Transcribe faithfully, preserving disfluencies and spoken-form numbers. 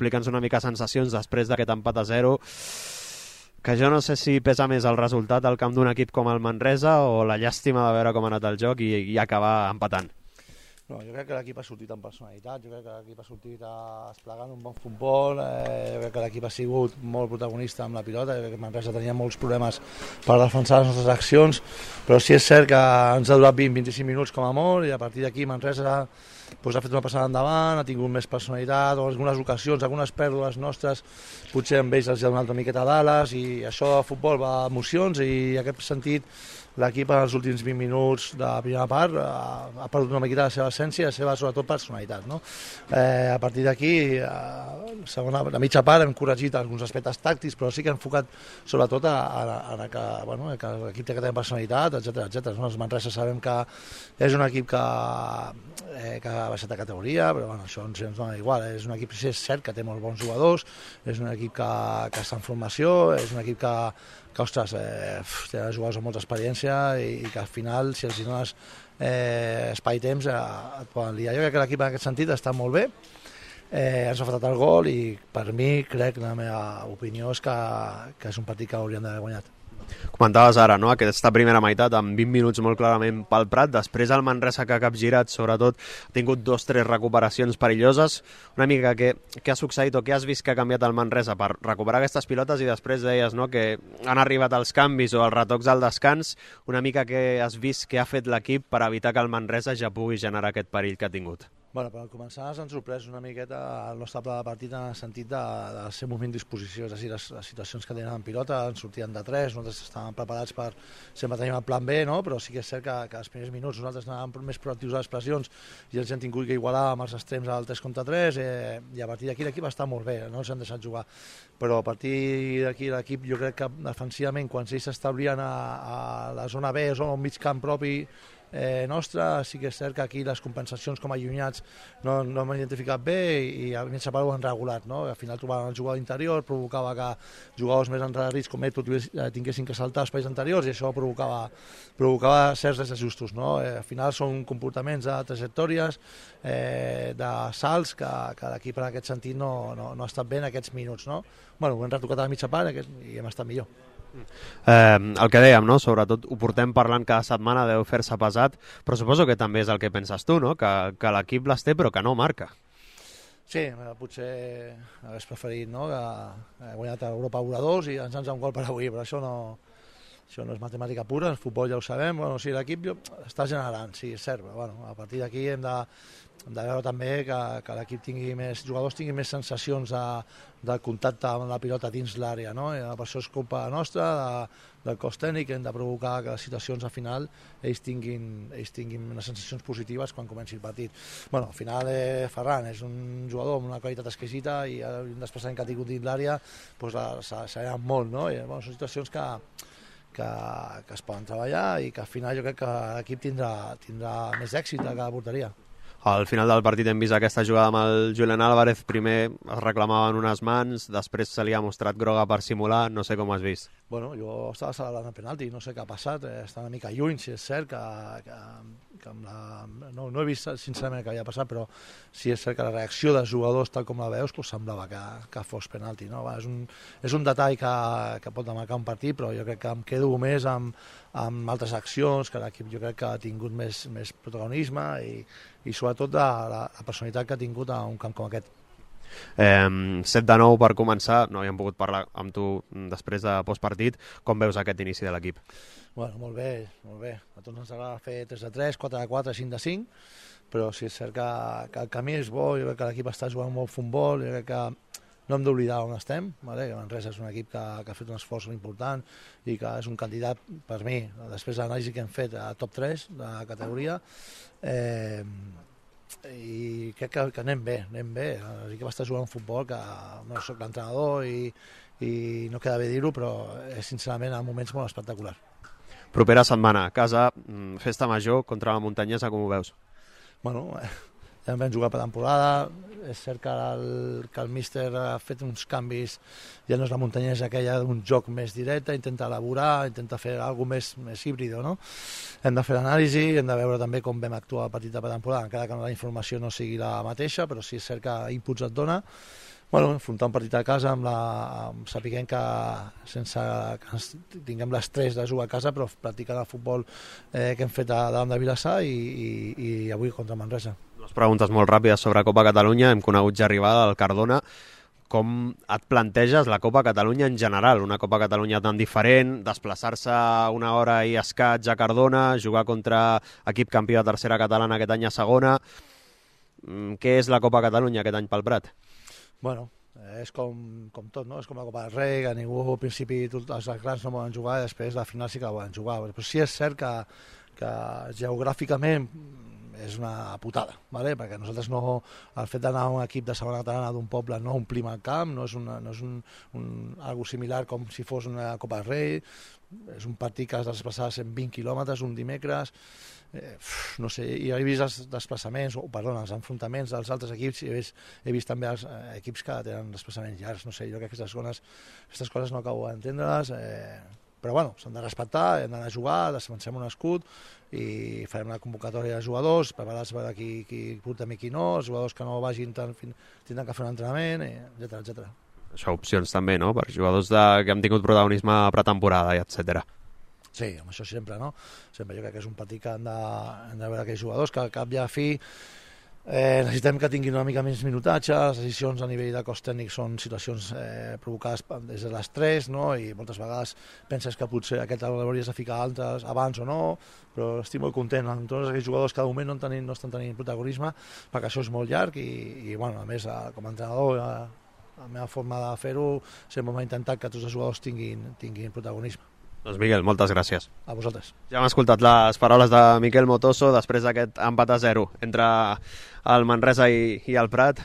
explica'ns una mica sensacions després d'aquest empat a zero, que jo no sé si pesa més el resultat al camp d'un equip com el Manresa o la llàstima de veure com ha anat el joc i, i acabar empatant. No, jo crec que l'equip ha sortit amb personalitat, jo crec que l'equip ha sortit desplegant un bon futbol, eh, jo crec que l'equip ha sigut molt protagonista amb la pilota, jo crec que Manresa tenia molts problemes per defensar les nostres accions, però sí és cert que ens ha durat vint a vint-i-cinc minuts com a molt, i a partir d'aquí Manresa doncs, ha fet una passada endavant, ha tingut més personalitat, o en algunes ocasions, algunes pèrdues nostres, potser amb ells els ha donat una miqueta d'ales, i això de futbol va a emocions, i en aquest sentit l'equip en els últims vint minuts de la primera part ha, ha perdut una miqueta la seva essència i la seva, sobretot, personalitat. No? Eh, a partir d'aquí, eh, segona, la mitja part hem corregit alguns aspectes tàctics, però sí que hem enfocat sobretot a, a, a que, bueno, que l'equip té que tenir personalitat, etcètera etcètera. No? Els Manresa sabem que és un equip que, eh, que ha baixat de categoria, però bueno, això ens, ens dona igual. És un equip, sí, és cert que té molts bons jugadors, és un equip que, que està en formació, és un equip que que, ostres, eh, té jugadors amb molta experiència i, i que al final, si els dones eh, espai i temps, eh, et poden liar. Jo crec que l'equip en aquest sentit està molt bé, eh, ens ha faltat el gol i per mi, crec, la meva opinió és que, que és un partit que hauríem d'haver guanyat. Comentaves ara, no?, aquesta primera meitat amb vint minuts molt clarament pel Prat, després el Manresa que ha capgirat, sobretot ha tingut dos o tres recuperacions perilloses. Una mica què, què ha succeït o què has vist que ha canviat el Manresa per recuperar aquestes pilotes, i després deies, no?, que han arribat els canvis o els retocs al descans. Una mica què has vist que ha fet l'equip per evitar que el Manresa ja pugui generar aquest perill que ha tingut? Bueno, per començar ens han sorprès una miqueta el nostre pla de partit en el sentit de, de ser moviment disposició, és a dir, les, les situacions que tenen en pilota ens sortien de tres, nosaltres estàvem preparats per, sempre tenim el plan B, no? Però sí que és cert que, que els primers minuts nosaltres anàvem més proactius a les pressions i els hem tingut que igualar amb els extrems al tres contra tres, eh, i a partir d'aquí l'equip està molt bé, no els han deixat jugar, però a partir d'aquí l'equip jo crec que defensivament quan ells s'establien a, a la zona B o a un mig camp propi Eh, nostra, sí que és cert que aquí les compensacions com a allunyats no, no hem identificat bé i a mi ho han regulat, no? Al final trobaven el jugador interior, provocava que jugadors més endarrerits com ell tinguessin que saltar espais anteriors i això provocava, provocava certs desajustos, no? Eh, al final són comportaments de trajectòries, eh, de salts que, que l'equip en aquest sentit no, no, no ha estat bé en aquests minuts, no? Bueno, ho hem retocat a la mitja part i hem estat millor. Eh, el que dèiem, no? Sobretot ho portem parlant cada setmana, deu fer-se pesat, però suposo que també és el que penses tu, no? Que, que l'equip les té però que no marca. Sí, potser hagués preferit, no? Que he guanyat a Europa un a dos i ens han un gol per avui, però això no, això no és matemàtica pura, el futbol ja ho sabem. Bueno, sí, l'equip està generant, sí, és cert, però bueno, a partir d'aquí hem de, hem de veure també que, que l'equip tingui més, jugadors tinguin més sensacions de, de contacte amb la pilota dins l'àrea, no? I per això és culpa nostra, de, del cos tècnic, hem de provocar que les situacions al final ells tinguin, ells tinguin unes sensacions positives quan comenci el partit. Bueno, al final eh, Ferran és un jugador amb una qualitat exquisita i un desplaçament que ha tingut dins l'àrea doncs s'ha anat molt, no? I, bueno, són situacions que Que, que es poden treballar i que al final jo crec que l'equip tindrà, tindrà més èxit que la porteria. Al final del partit hem vist aquesta jugada amb el Julián Álvarez, primer es reclamaven unes mans, després se li ha mostrat groga per simular, no sé com ho has vist. Bueno, jo estava celebrant el penalti, no sé què ha passat, eh, està una mica lluny, si és cert que, que, que amb la... no, no he vist sincerament què havia passat, però sí és cert que la reacció dels jugadors, tal com la veus, pues, semblava que, que fos penalti. No? Va, és, un, és un detall que, que pot marcar un partit, però jo crec que em quedo més amb, amb altres accions, que l'equip jo crec que ha tingut més, més protagonisme i, i sobretot de la, la personalitat que ha tingut a un camp com aquest. Eh, set de nou per començar, no havíem pogut parlar amb tu després de postpartit. Com veus aquest inici de l'equip? Bueno, molt bé, molt bé. A tots ens agrada fer tres de tres, quatre de quatre, cinc de cinc, però sí és cert que, que el camí és bo, jo crec que l'equip està jugant molt futbol, jo crec que no hem d'oblidar on estem, vale? Que Manresa és un equip que, que ha fet un esforç important i que és un candidat, per mi, després de l'anàlisi que hem fet, a top tres de la categoria, eh, i crec que, que anem bé, anem bé. L'equip està jugant un futbol que no soc l'entrenador i, i no queda bé dir-ho, però és sincerament en moments molt espectaculars. Propera setmana, a casa, festa major contra la Muntanyesa, com ho veus? Bueno, ja vam jugar per temporada, és cert que el, que el míster ha fet uns canvis, ja no és la Muntanyesa aquella d'un joc més directe, intenta elaborar, intenta fer alguna més, més híbrido, no? Hem de fer l'anàlisi, hem de veure també com vam actuar al partit de temporada, encara que la informació no sigui la mateixa, però sí és cert que inputs et dona, Bueno, enfrontar un partit a casa amb la, amb, sapiguem que sense que ens tinguem l'estrès de jugar a casa, però practicant el futbol eh, que hem fet a, davant de Vilassar i, i, i avui contra Manresa. Dues preguntes molt ràpides sobre Copa Catalunya. Hem conegut ja arribada al Cardona. Com et planteges la Copa Catalunya en general? Una Copa Catalunya tan diferent, desplaçar-se una hora i escaig a Cardona, jugar contra equip campió de tercera catalana aquest any a segona. Què és la Copa Catalunya aquest any pel Prat? Bueno, és com, com tot, no? És com la Copa del Rei, que ningú al principi tot, els grans no volen jugar i després la final sí que la volen jugar. Però sí és cert que, que geogràficament és una putada, ¿vale? Perquè nosaltres no, el fet d'anar a un equip de segona catalana d'un poble no omplim el camp, no és, una, no és un, un, algo similar com si fos una Copa del Rei, és un partit que has de desplaçar cent vint quilòmetres un dimecres, eh, no sé, i he vist els desplaçaments, o perdona, els enfrontaments dels altres equips, i he vist, he vist també els eh, equips que tenen desplaçaments llargs, no sé, jo crec que aquestes coses, aquestes coses no acabo d'entendre-les, eh, però bueno, s'han de respectar, hem d'anar a jugar, defensem un escut i farem una convocatòria de jugadors, preparats per veure qui, qui portem i qui no, els jugadors que no vagin tant, tindran que fer un entrenament, etcètera, etcètera. Això, opcions també, no?, per jugadors de, que han tingut protagonisme a pretemporada, etcètera. Sí, amb això sempre, no? Sempre jo crec que és un partit que han de, han de veure aquells jugadors, que al cap i a fi eh, necessitem que tinguin una mica menys minutatge, les decisions a nivell de cos tècnic són situacions eh, provocades des de l'estrès, no? I moltes vegades penses que potser aquest l'hauries de ficar altres abans o no, però estic molt content amb tots aquells jugadors que de moment no, tenim, no estan tenint protagonisme, perquè això és molt llarg i, i bueno, a més, com a entrenador, la meva forma de fer-ho sempre m'ha intentat que tots els jugadors tinguin, tinguin protagonisme. Doncs Miquel, moltes gràcies. A vosaltres. Ja hem escoltat les paraules de Miquel Motoso després d'aquest empat a zero entre el Manresa i, i el Prat.